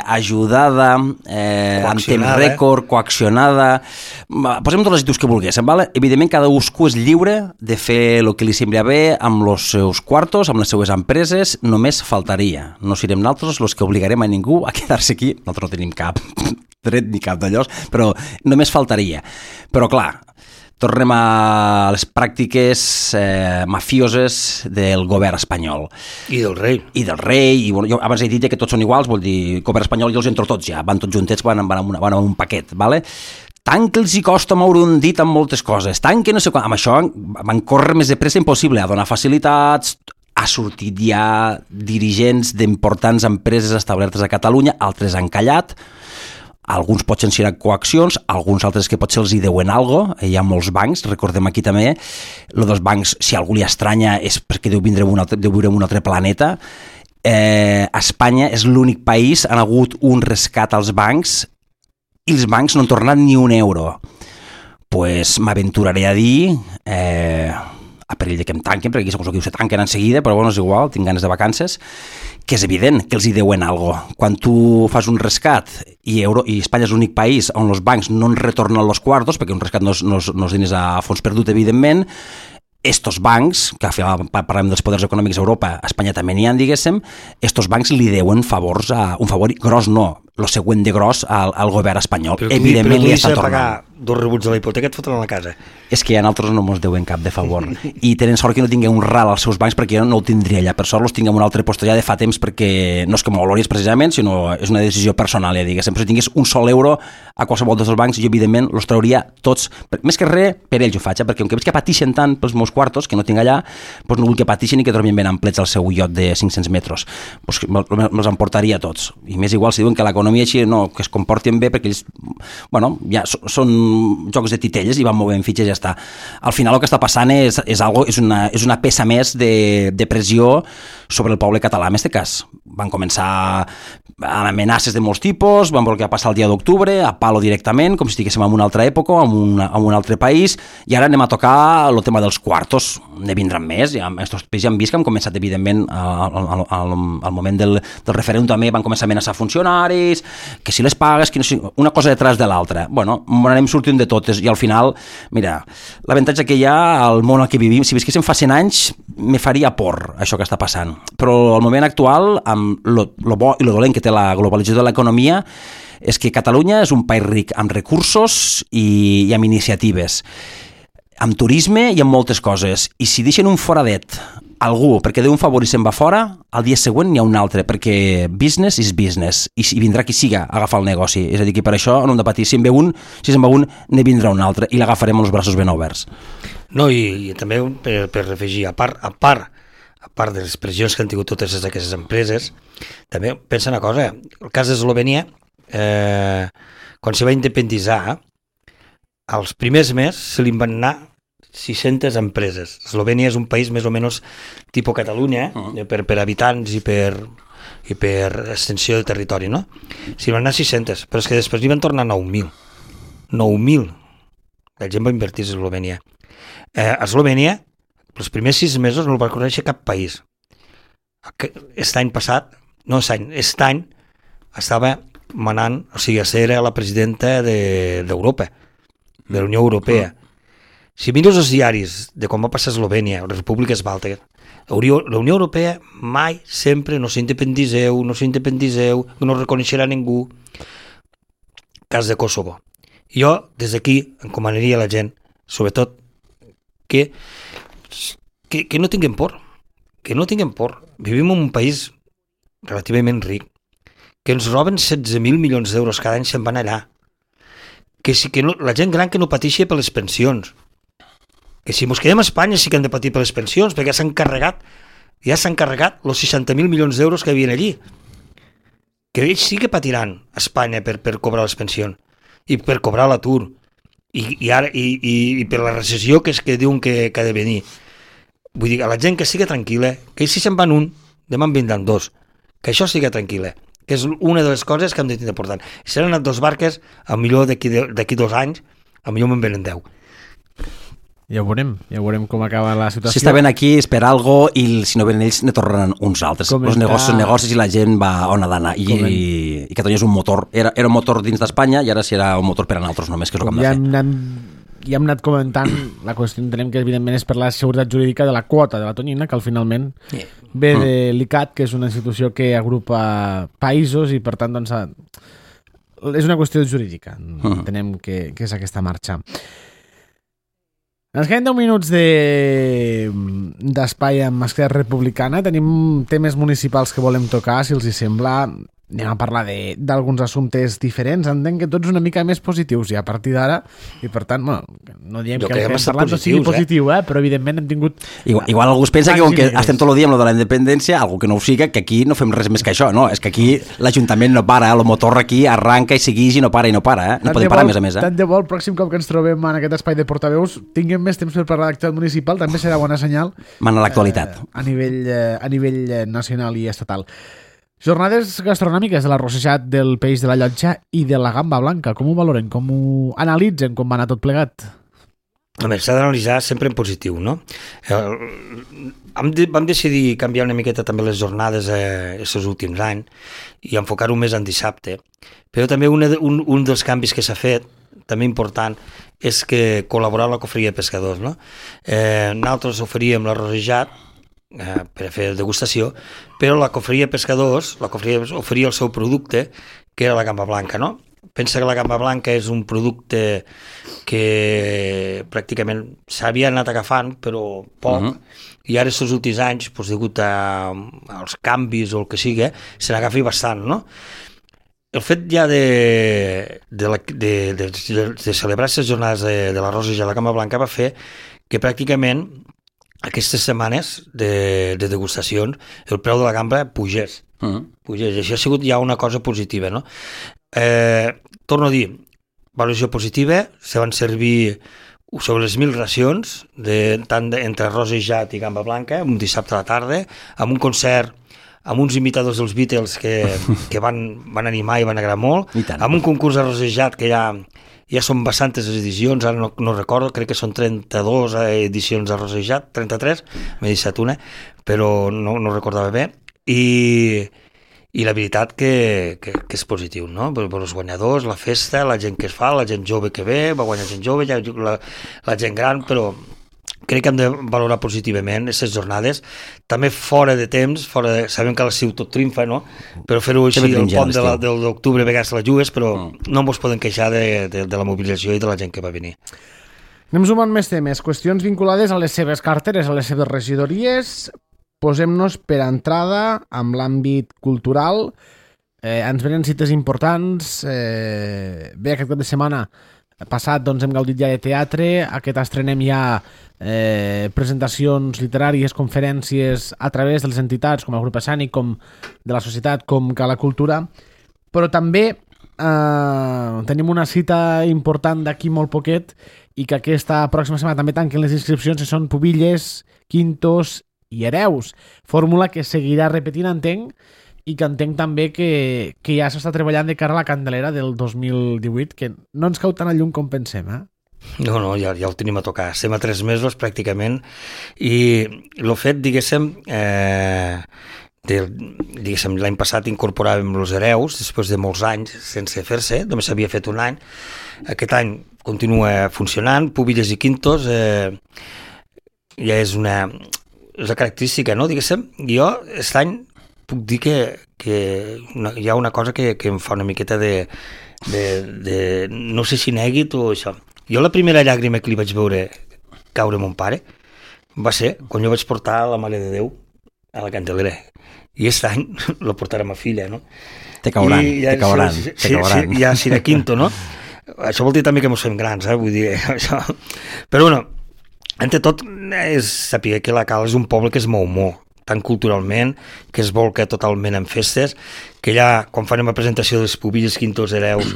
ajudada, en temps rècord, coaccionada. Posem tots els adjectius que volguéssim, ¿vale? Evidentment, cadascú és lliure de fer el que li sembla bé amb els seus quartos, amb les seues empreses, només faltaria. No serem nosaltres els que obligarem a ningú a quedar-se aquí. Nosaltres no tenim cap dret ni cap d'allò, però només faltaria. Però clar, tornem a les pràctiques mafioses del govern espanyol. I del rei. I del rei. I, bueno, jo abans he dit que tots són iguals, vol dir, govern espanyol i els entro tots ja, van tots juntets, van en un paquet, ¿vale? Tant que els hi costa moure un dit amb moltes coses, tant que no sé quan... Amb això van córrer més de pressa impossible, a donar facilitats, ha sortit ja dirigents d'importants empreses establertes a Catalunya, altres han callat, alguns potser han sigut coaccions, alguns altres que potser els hi deuen alguna cosa, hi ha molts bancs, recordem aquí també, el dels bancs, si algú li estranya, és perquè deu viure en un altre planeta. Espanya és l'únic país, han hagut un rescat als bancs, i els bancs no han tornat ni un euro. Pues m'aventuraré a dir, a perill de que em tanquen, perquè aquí segons que se tanquen en seguida, però bueno, és igual, tinc ganes de vacances, que és evident que els hi deuen alguna cosa. Quan tu fas un rescat i Espanya és l'únic país on els bancs no en retornen els quartos, perquè un rescat no és diners a fons perdut, evidentment, estos bancs, que parlem dels poders econòmics a Europa, a Espanya també n'hi ha, diguéssim, estos bancs li deuen favors, un favor gros no, el següent de gros al govern espanyol. Però evidentment li està tornant. Pagar 2 rebuts de la hipoteca et fotran a la casa. És que a nosaltres no ens deuen cap de favor. I tenen sort que no tinguem un ral als seus bancs perquè jo no el tindria allà. Per sort els tinguem un altre post allà de fa temps perquè no és que m'oloris precisament, sinó és una decisió personal, ja diguéssim. Però si tingués un sol euro a qualsevol dels bancs, jo evidentment els trauria tots, més que res per ells ho faig, perquè com que veig que patixen tant pels meus quartos, que no tinc allà, doncs no vull que patixin i que dormin ben amplets al seu iot de 500 metres. Doncs me'ls emportaria tots. I més igual si diuen que l'economia així no, que es comportin bé perquè ells, bueno, ja són jocs de titelles i van movent fitxes i ja està. Al final el que està passant és una peça més de pressió sobre el poble català en aquest cas. Van començar amb amenaces de molts tipus, van veure què va passar el dia d'octubre, a palo directament, com si estiguéssim en una altra època, en un altre país, i ara anem a tocar el tema dels quartos. Ne vindran més, ja, aquests països ja han vist que han començat, evidentment, al moment del referèndum també van començar a amenaçar funcionaris, que si les pagues, que no sé, una cosa detrás de l'altra. Bueno, anem sortint de totes, i al final, mira, l'avantatge que hi ha al món en què vivim, si visquéssim fa 100 anys, me faria por això que està passant. Però al moment actual, amb lo bo i lo dolent que té la globalització de l'economia, és que Catalunya és un país ric amb recursos i amb iniciatives, amb turisme i amb moltes coses. I si deixen un foradet algú perquè deu un favor i se'n va fora, al dia següent n'hi ha un altre, perquè business is business, i vindrà qui siga a agafar el negoci. És a dir, que per això no hem de patir. Si se'n va un, ne vindrà un altre, i l'agafarem amb els braços ben oberts. No, i també per afegir, a part de les pressions que han tingut totes aquestes empreses, també pensa una cosa, el cas d'Eslovènia, quan se va independitzar, als primers mesos se li van anar 600 empreses. Eslovènia és un país més o menys tipus Catalunya, per habitants i per extensió de territori, no? Se li van anar 600, però és que després li van tornar 9.000. 9.000. La gent va invertir a Eslovènia. A Eslovènia, els primers 6 mesos no el va conèixer cap país. Aquest any estava manant, o sigui, era la presidenta d'Europa, de la Unió Europea. Si mires els diaris de com va passar Eslovènia, les repúbliques bàltiques, la Unió Europea mai, sempre, no s'independitzeu, no reconeixerà ningú. Cas de Kosovo. Jo, des d'aquí, encomanaria a la gent, sobretot, que no tinguem por, Vivim en un país relativament ric, que ens roben 16.000 milions d'euros cada any, se'n van allà. La gent gran que no pateixi per les pensions, que si ens quedem a Espanya sí que hem de patir per les pensions, perquè ja s'han carregat els 60.000 milions d'euros que hi havia allí. que ells sí que patiran a Espanya per cobrar les pensions i per cobrar l'atur i per la recessió que diuen que ha de venir. Vull dir, a la gent que sigui tranquil·la, que si se'n van un, demà en vindran dos, que això sigui tranquil·la, que és una de les coses que hem de tenir important. Si han anat 2 barques, a millor d'aquí 2 anys, a millor me'n venen 10. Ja ho veurem com acaba la situació. Si estaven aquí és per algo i si no venen ells ne tornaran uns altres. Els negocis i la gent va on ha d'anar. I Catalunya és un motor, era un motor dins d'Espanya i ara serà un motor per a nosaltres només, que és el que hem de fer. Ja hem anat comentant, la qüestió entenem que evidentment és per la seguretat jurídica de la quota de la tonyina, que al finalment ve de l'ICAT, que és una institució que agrupa països i per tant doncs, és una qüestió jurídica. Entenem que és aquesta marxa. Ens queden 10 minuts d'espai amb Esquerra Republicana. Tenim temes municipals que volem tocar, si els hi sembla. Anem a parlar d'alguns assumptes diferents. Entenc que tots una mica més positius ja a partir d'ara, i per tant, bueno, no diem que el que hem parlat no sigui positiu, però evidentment hem tingut... Igual algú es pensa que com que estem tot el dia amb lo de la independència, algú que no ho siga, que aquí no fem res més que això, no? És que aquí l'Ajuntament no para, el motor aquí arranca i segueix i no para, No podem parar a més. Tant de bo el pròxim cop que ens trobem en aquest espai de portaveus tinguem més temps per parlar d'actualitat municipal, també serà bona senyal. Mana l'actualitat. A nivell nacional i estatal. Jornades gastronòmiques de l'arrossejat del peix de la llotja i de la gamba blanca. Com ho valoren? Com ho analitzen? Com va anar tot plegat? Home, s'ha d'analitzar sempre en positiu, no? Vam decidir canviar una miqueta també les jornades aquests últims anys i enfocar-ho més en dissabte. Però també un dels canvis que s'ha fet, també important, és que col·laborar amb la cofreria de pescadors, no? Nosaltres oferíem l'arrossejat per a fer degustació, però la cofreria de pescadors oferia el seu producte, que era la gamba blanca, no? Pensa que la gamba blanca és un producte que pràcticament s'havia anat agafant, però poc, i ara aquests últims anys, doncs, degut als canvis o el que sigui, se n'agafi bastant, no? El fet ja de celebrar aquestes jornades de l'arròs i de la gamba blanca va fer que pràcticament aquestes setmanes de degustacions el preu de la gamba pugés. I això ha sigut ja una cosa positiva, no? Torno a dir, valoració positiva, se van servir sobre les 1.000 racions, tant entre arrossejat i gamba blanca, un dissabte a la tarda, amb un concert amb uns imitadors dels Beatles que van animar i van agradar molt, amb un concurs arrossejat que ja són bastantes edicions, ara no recordo, crec que són 32 edicions arrossejat, 33, m'he deixat una, però no recordava bé, i la veritat que és positiu, no? Per els guanyadors, la festa, la gent que es fa, la gent jove que ve, va guanyar gent jove, la gent gran, però crec que hem de valorar positivament aquestes jornades, també fora de temps, sabem que a l'estiu tot triomfa, no? Però fer-ho així, el pont de l'octubre a vegades la jugues, però no ens podem queixar de la mobilització i de la gent que va venir. Anem sumant més temes, qüestions vinculades a les seves carteres, a les seves regidories. Posem-nos per entrada amb l'àmbit cultural. Ens venen cites importants. Bé, aquest cap de setmana passat doncs, hem gaudit ja de teatre, aquest estrenem ja presentacions literàries, conferències a través de les entitats com el grup escènic, com de la societat, com Cala Cultura, però també tenim una cita important d'aquí molt poquet i que aquesta pròxima setmana també tanquen les inscripcions, que són Pubilles, Quintos i Hereus, fórmula que seguirà repetint, entenc, i que entenc també que ja s'està treballant de cara a la Candelera del 2018, que no ens cau tan a llum com pensem, No, ja ho tenim a tocar. Estem a 3 mesos pràcticament, i el fet, diguéssim, l'any passat incorporàvem els Hereus, després de molts anys sense fer-se, només s'havia fet un any. Aquest any continua funcionant, Pubilles i Quintos, ja és una característica, no? Diguéssim, jo aquest any puc dir que hi ha una cosa que em fa una miqueta de no sé si nèguit o això. Jo la primera llàgrima que li vaig veure caure a mon pare va ser quan jo vaig portar la Mare de Déu a la Candelera, i aquest any la portarà ma filla, no? Te cauran. Sí, ja serà quinto, no? Això vol dir també que mos fem grans, vull dir, això. Però bueno, entre tot és saber que la Cala és un poble que es mou molt, tant culturalment, que es volca totalment en festes, que allà, quan farem la presentació dels pubilles, quintos, hereus,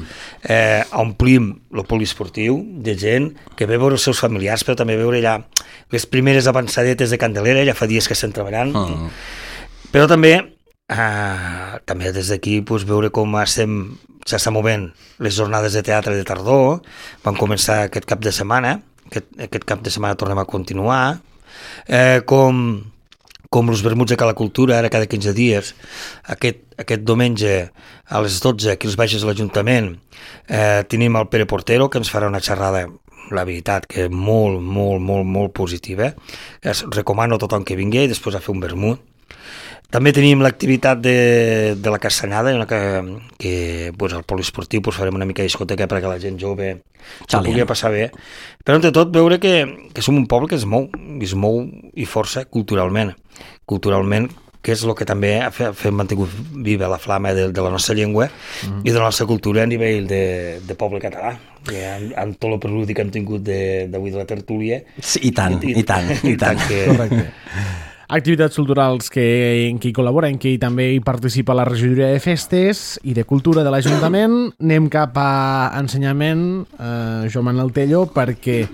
omplim el poliesportiu de gent que ve a veure els seus familiars, però també veure allà les primeres avançadetes de Candelera, ja fa dies que estem treballant, però també des d'aquí veure com s'estan movent les jornades de teatre de tardor, van començar aquest cap de setmana, aquest cap de setmana tornem a continuar, com els vermuts de Cala Cultura, ara cada 15 dies, aquest diumenge a les 12, aquí als baixes de l'Ajuntament, tenim el Pere Portero, que ens farà una xerrada, la veritat, que és molt, molt, molt, molt positiva. Recomano a tothom que vingui i després a fer un vermut. També tenim l'activitat de la Castanyada, que al poliesportiu farem una mica de discoteca perquè la gent jove s'ho pugui passar bé. Però, entre tot, veure que som un poble que es mou i força culturalment, que és el que també ha mantingut viva la flama de la nostra llengua i de la nostra cultura a nivell de poble català. Amb tot el preludi que hem tingut d'avui de la tertúlia. I tant. Correcte. Activitats culturals en què hi col·labora, en què també hi participa la regidoria de festes i de cultura de l'Ajuntament. Anem cap a ensenyament, Joan Manuel Tello, perquè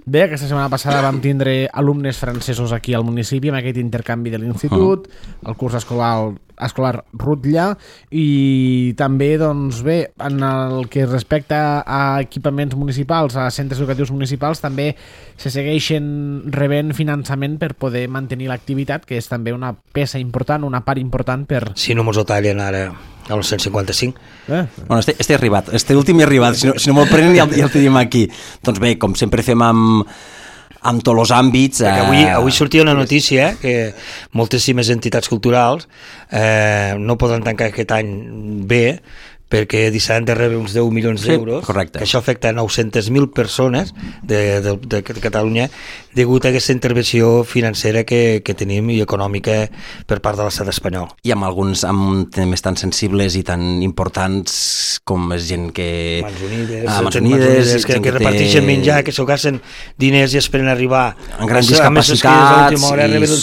bé, aquesta setmana passada vam tindre alumnes francesos aquí al municipi amb aquest intercanvi de l'institut, el curs escolar Rutlla, i també, doncs bé, en el que respecta a equipaments municipals, a centres educatius municipals, també se segueixen rebent finançament per poder mantenir l'activitat, que és també una peça important, una part important per... Si no mos ho tallen ara al 155. Bueno, este arribat, este últim he arribat, si no me'l prenen ja el tenim aquí. Doncs bé, com sempre fem amb tots els àmbits... Avui sortia una notícia que moltíssimes entitats culturals no poden tancar aquest any bé perquè deixaran de rebre uns 10 milions d'euros, que això afecta 900.000 persones de Catalunya degut a aquesta intervenció financera que tenim i econòmica per part de l'estat espanyol. I amb alguns temes tan sensibles i tan importants com és gent que... Mans Unides, que reparteixen menjar, que s'ho gasten diners i esperen arribar amb grans discapacitats,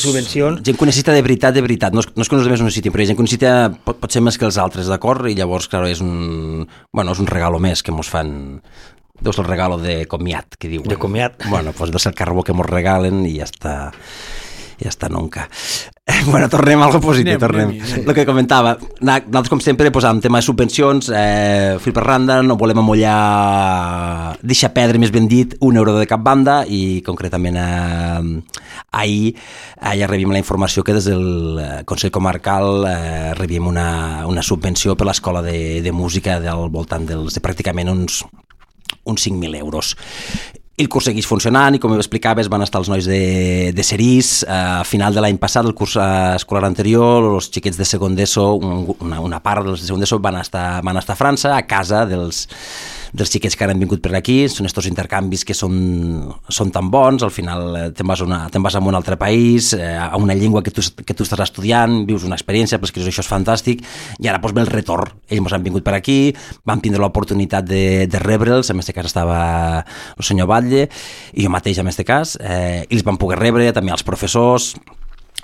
subvencions. Gent que necessita de veritat. No és que els altres no necessitin, però gent que necessita potser més que els altres, d'acord? I llavors, clar, és un regalo més que mos fan. Deu ser el regalo de comiat, que diuen. De comiat. Bueno, pues deu ser el carbó que mos regalen i ja està nunca. Bueno, tornem a algo positiu, tornem. El que comentava, nosaltres com sempre posàvem tema de subvencions, fil per randa, no volem amollar, deixar perdre, més ben dit, €1 de cap banda, i concretament ahir ja rebíem la informació que des del Consell Comarcal rebíem una subvenció per l'escola de música del voltant de pràcticament uns 5.000 euros. I el curs segueix funcionant i, com explicaves, van estar els nois de Cerís. A final de l'any passat, el curs escolar anterior, els xiquets de segon d'ESO, una part dels de segon d'ESO van estar a França, a casa dels xiquets que han vingut per aquí. Són estos intercanvis que són tan bons. Al final te'n vas a un altre país, a una llengua que tu estàs estudiant, vius una experiència, però és que això és fantàstic, i ara ve el retorn. Ells han vingut per aquí, vam tindre l'oportunitat de rebre'ls, en aquest cas estava el senyor Batlle i jo mateix en aquest cas, i els vam poder rebre, també els professors,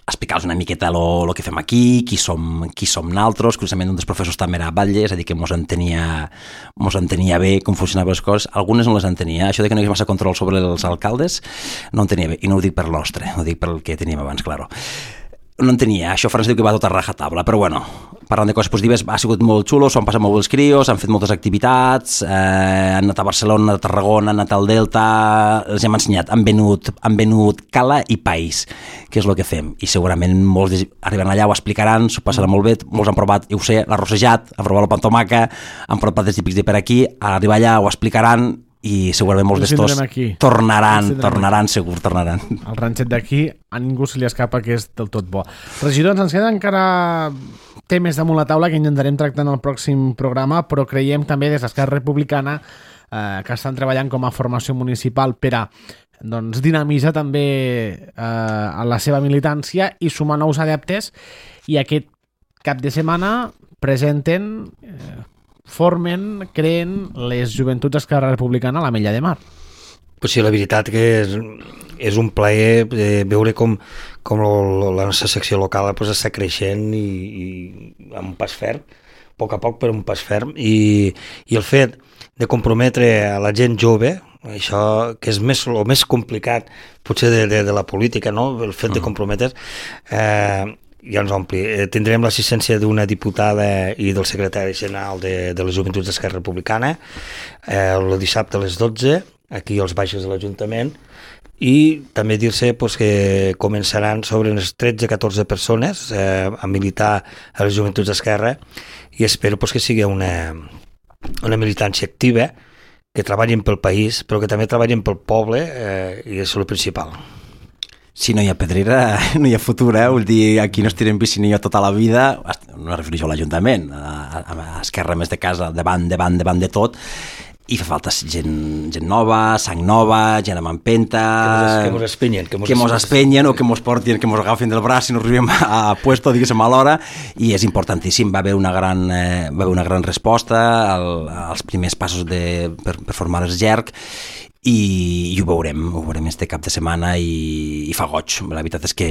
explicar-los una miqueta el que fem aquí, qui som naltros. Curiosament, un dels professors també era Batlle, és a dir, que mos entenia bé com funcionaven les coses. Algunes no les entenia. Això de que no hi hagués massa control sobre els alcaldes no entenia bé, i no ho dic per l'ostre, ho dic per el que teníem abans, claro. No entenia, això França diu que va tot a rajatabla, però bueno, parlant de coses positives, ha sigut molt xulo, s'ho han passat molt bé els crios, han fet moltes activitats, han anat a Barcelona, a Tarragona, han anat al Delta, els hem ensenyat, han venut cala i país, que és el que fem, i segurament molts arriben allà, ho explicaran, s'ho passaran molt bé, molts han provat, jo ho sé, l'arrossejat, han provat el pan tomaca, han provat plats típics de per aquí, a arribar allà ho explicaran, i segurament molts d'estos tornaran. El ranxet d'aquí a ningú se li escapa que és del tot bo. Regidor, ens queden encara temes damunt la taula que intentarem tractar en el pròxim programa, però creiem també des d'Esquerra Republicana que estan treballant com a formació municipal per a dinamitzar també a la seva militància i sumar nous adeptes, i aquest cap de setmana presenten... creen les Joventuts Esquerra Republicana a l'Ametlla de Mar. Pues sí, la veritat que és un plaer veure com la nostra secció local pues, està creixent i amb un pas ferm, a poc, però un pas ferm, i el fet de comprometre a la gent jove, això que és el més complicat potser de la política, no? El fet de comprometre ja ens ompli. Tindrem l'assistència d'una diputada i del secretari general de les Joventuts d'Esquerra Republicana el dissabte a les 12 aquí als baixos de l'Ajuntament, i també dir-se pues, que començaran sobre unes 13-14 persones a militar a les Joventuts d'Esquerra, i espero pues, que sigui una militància activa, que treballin pel país, però que també treballin pel poble, i és el principal. Si no hi ha pedrera, no hi ha futur, Vull dir, aquí no estirem piscinillo tota la vida, no refereixo a l'Ajuntament, a Esquerra més de casa, davant de tot, i fa falta gent nova, sang nova, gent amb empenta... Que mos espenyen. Que mos espenyen o que mos portin, que mos agafin del braç si no arribem a puesto, diguéssim, a l'hora, i és importantíssim. Va haver una gran resposta als primers passos per formar el GERC, i ho veurem este cap de setmana i fa goig. La veritat és que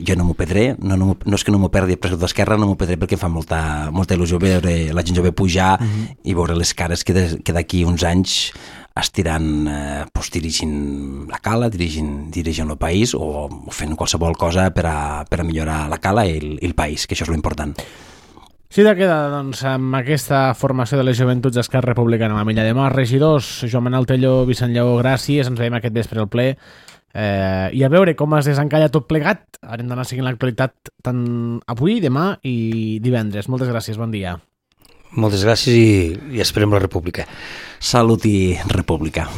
jo no m'ho perdré, no és que no m'ho perdi per d'Esquerra, no m'ho perdré perquè em fa molta il·lusió veure la gent jove pujar i veure les cares que d'aquí uns anys estiran dirigint la cala, dirigint el país o fent qualsevol cosa per a millorar la cala i el país, que això és l'important. Sí, de queda, doncs, amb aquesta formació de les Joventuts d'Esquerra Republicana a la Milla de Mar. Regidors, Joan Manel Tello, Vicent Lleó, gràcies, ens veiem aquest vespre al ple, i a veure com es desencalla tot plegat. Haurem d'anar seguint l'actualitat tant avui, demà i divendres. Moltes gràcies, bon dia. Moltes gràcies i esperem la república. Salut i república.